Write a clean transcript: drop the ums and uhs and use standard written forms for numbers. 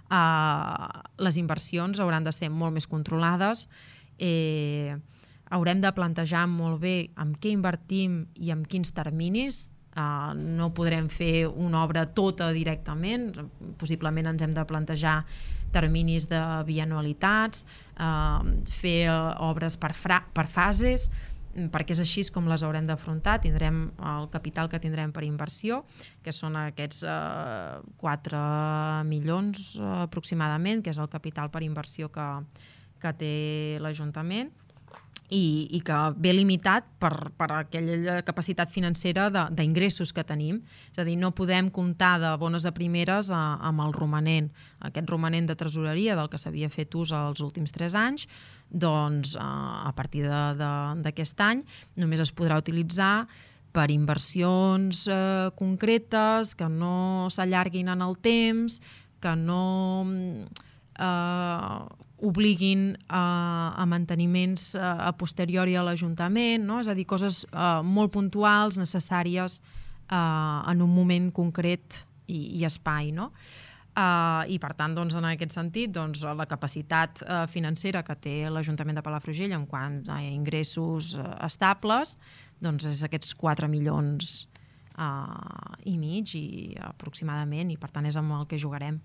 les inversions hauran de ser molt més controlades, haurem de plantejar molt bé amb què invertim i amb quins terminis. No podrem fer una obra tota directament, possiblement ens hem de plantejar terminis de bianualitats, fer obres per fases, perquè és així com les haurem d'afrontar. Tindrem el capital que tindrem per inversió, que són aquests 4 milions aproximadament, que és el capital per inversió que té l'Ajuntament, i que ve limitat per aquella capacitat financera d'ingressos que tenim. És a dir, no podem comptar de bones a primeres amb el romanent. Aquest romanent de tresoreria del que s'havia fet ús els últims 3 anys, doncs a partir d'aquest any només es podrà utilitzar per inversions concretes, que no s'allarguin en el temps, que no obliguin a manteniments a posteriori a l'Ajuntament, no? És a dir, coses molt puntuals, necessàries en un moment concret i espai, no? I per tant, doncs, en aquest sentit, doncs, la capacitat financera que té l'Ajuntament de Palafrugell en quant a ingressos estables, doncs és aquests 4 milions i mig aproximadament, i per tant és amb el que jugarem.